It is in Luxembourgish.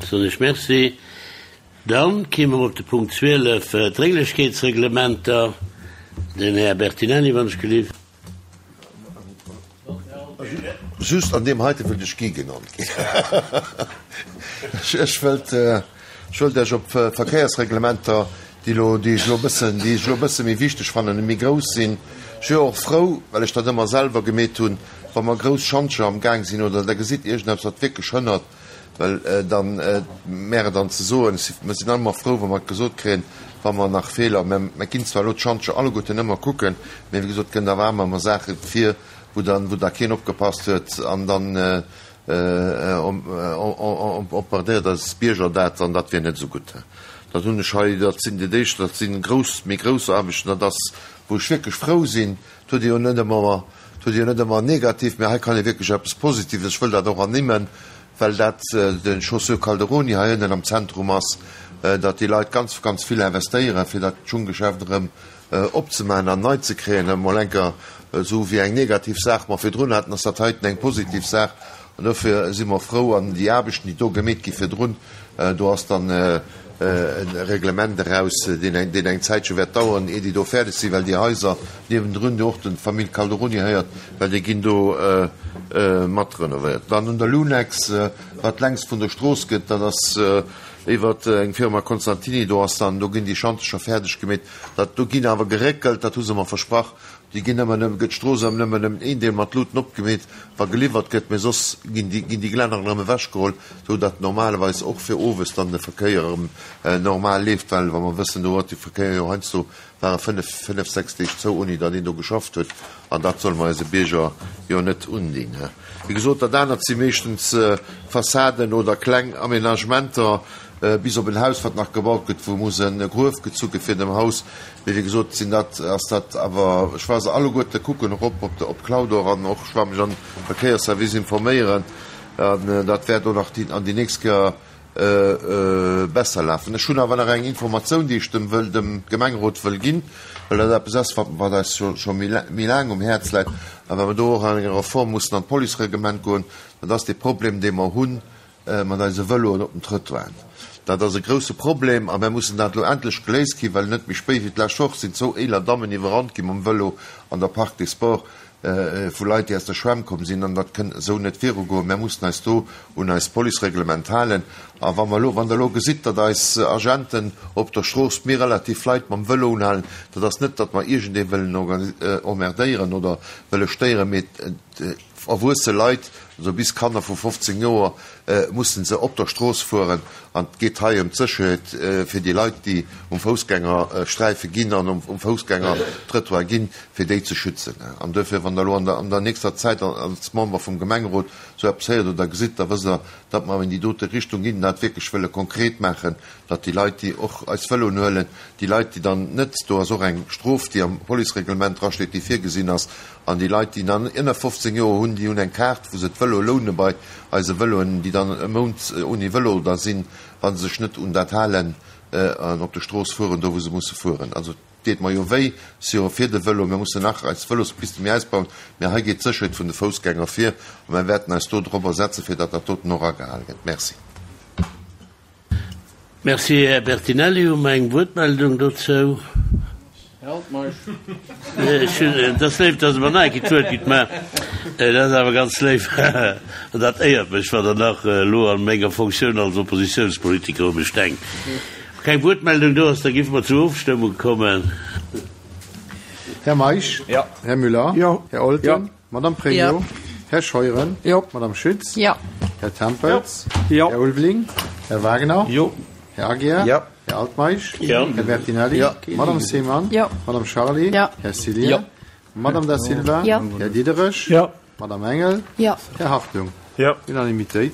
Soen ech Merci. Dann kéime mer op de Punkt 12, d'Drénglechkeetsreglementer. Den Här Bertinelli, wann ech gelift. Just an deem heite wëllt ech Guy genannt ginn. Ech wëllt, ech wëllt Iech op Verkéiersreglementer, déi elo, déi ech elo e bëssen, déi ech elo e bësse méi wichteg fannen, méi grouss sinn. Ech wier och frou, well ech dat ëmmer selwer gemeet hunn, wa mer grouss Schantjer am Gaang sinn oder Der gesitt iergendeppes, wat wierklech hënnert, Well dann, mär et dann ze soen, mer sinn all ëmmer frou, wa mer et gesot kréien, wa mer nach Feeler, mä mer ginn zwar elo d'Schantje alleguerten ëmmer kucken, mä wéi gesot, et kënnt awer amer ëmmer Saache vir, wou dann, wou da keen opgepasst huet an dann emmerdéiert eis Bierger dat an dat wier net esou gutt. Dat hunn ech hei, dat sinn déi éischt, dat si grouss, méi grouss Aarbechten, dat ass, wou ech wierklech frou sinn, Et huet ee jo net ëmmer, et huet ee jo net ëmmer negativ, mä hei kann ee wierklech eppes Positives, ech wëll dat och ernimmen, well dat de Chaussure Calderoni hei ënnen am Zentrum ass, datt déi Leit ganz, ganz vill investéieren, fir dat Schunggeschäft erëm opzemaachen an nei ze kréien. Emol enker esou wéi eng negativ Saach mer virdrun haten, ass dat heiten eng positiv Saach. An dofir si mer frou. An déi Aarbechten, déi do gemeet gi virdrun, do ass dann e Reglement eraus, deen eng, deen eng Zäitche wäert daueren, ier déi do fäerdeg sinn, well déi Haiser niewendrun, déi och der Famill Calderoni héiert, well déi ginn do mat renovéiert. Dann un der Lunex, wat längs vun der Strooss gëtt, dat ass iwwer eng Firma Constantini, do ass dann, do ginn déi Schantercher fäerdeg gemeet. Dat, do ginn awer geréckelt, dat hu se mer versprach, Déi ginn ëmmer nëmmen, gëtt d'Strooss ëm nëmmen ëm een Deel mat Luuten opgemeet, wa geliwwert gëtt, mee soss ginn déi, ginn déi Glänner erëm ewechgeholl, sou datt normalerweis och fir owes dann de Verkéier erëm normal leeft, well wa mer wëssen, do huet de Verkéier jo heiansdo ware fënnef, fënnef, sechs Deeg zou, ouni datt een do geschafft huet, an dat solle mer eise Bierger jo net undinn. Wéi gesot, dat anert si meeschtens Fassaden oder kleng Aménagementer, bis op en Haus, wat nach gebaut gëtt, wou muss e Gruef gezu gi fir dem Haus. Mee wéi gesot sinn dat, ass dat awer, ech war se alleguerte kucken erop op de, op Cloudor an och ech war mech an Verkéiersservice informéieren an dat wäert och nach déi, an déi nächst Kéier besser lafen. Ech hunn awer nach eng Informatioun, déi ech dem wëll, dem Gemengerot wëll ginn, well dat eppes ass, wat, wat eis scho, scho méi, méi laang um Häerz läit a well mer do och an enger Reform mussen an d'Policereglement goen. Dat ass dee Problem, dee mer hunn mat eise Vëloen op den Trëttoiren. Dat ass e grousse Problem a mär mussen dat elo endlech geléist kréien, well net méi spéit wéi d'lescht Woch sinn zwou eeler Dammen iwwerrannt gi mam Vëlo an der Parc des Sports vu Leit, déi aus der Schwämm komm sinn. An dat kënnt esou net virugoen. Mär mussen eis do un eist Policereglement halen. A wa mer elo, wann Der elo gesitt, datt eis Agenten op der Strooss méi relativ Leit mam Vëlo unhalen, dat ass net, datt mer iergendee wëllen emmerdéieren oder wëlle stéieren, mee Erwuesse Leit, also bis Kanner vu 15 Joer, mussen se op der Strooss fueren. An et geet hei ëm d'Sécherheet fir déi Leit, déi um Foussgängersträife ginn an um Foussgängertrëttoir ginn, fir déi ze schützen. An duerfir, wann Der elo an der nächster Zäit als Member vum Gemengerot esou eppes héiert oder gesitt, da wësst Der, datt mer an déi dote Richtung ginn an dat wierklech wëlle konkret maachen, datt déi Leit, déi och eis Vëloen huelen, déi Leit, déi dann net, do ass och eng Strof, déi am Policereglement drasteet, déi virgesinn ass, An déi Leit, déi dann ënner 15 Joer hunn, déi hunn eng Kaart, wou se d'Vëloe loune bei eise Vëloen, déi dann e Mount ouni Vëlo da sinn, wa se sech net un dat halen an op der Strooss fueren, do wou se musse fueren. Also et deet mer jo wéi, si jo fir de Vëlo, mir mussen nach eis Vëlospiste méi ausbauen, mä hei geet d'Sécherheet vun de Foussgänger vir a mir wäerten eis do drop asetzen, fir datt dat doten och agehale gëtt. Merci. Merci, Här Bertinelli. Hu mer eng Wuertmeldung dozou? Et ass léif, dass Der mer nach eng Kéier d'Wuert gitt, mä dat ass awer ganz léif an dat éiert mech, wann Der nach elo a menger Fonctioun als Oppositionspolitiker u mech denkt. Wa keng Wuertmeldung do ass, da géife mer zur Ofstëmmung kommen. Här Meisch? Här Müller? Här Olten? Madame Pregno, Här Scheuren, Madame Schütz, Här Tempels, Här Ulveling, Här Wagner, Här Aguiar, Här Altmeisch, Här Bertinelli, Madame Seemann, Madame Charly, Här Cillien, Madame Da Silva, Här Diderich, Madame Engel, Här Hartung. Unanimitéit.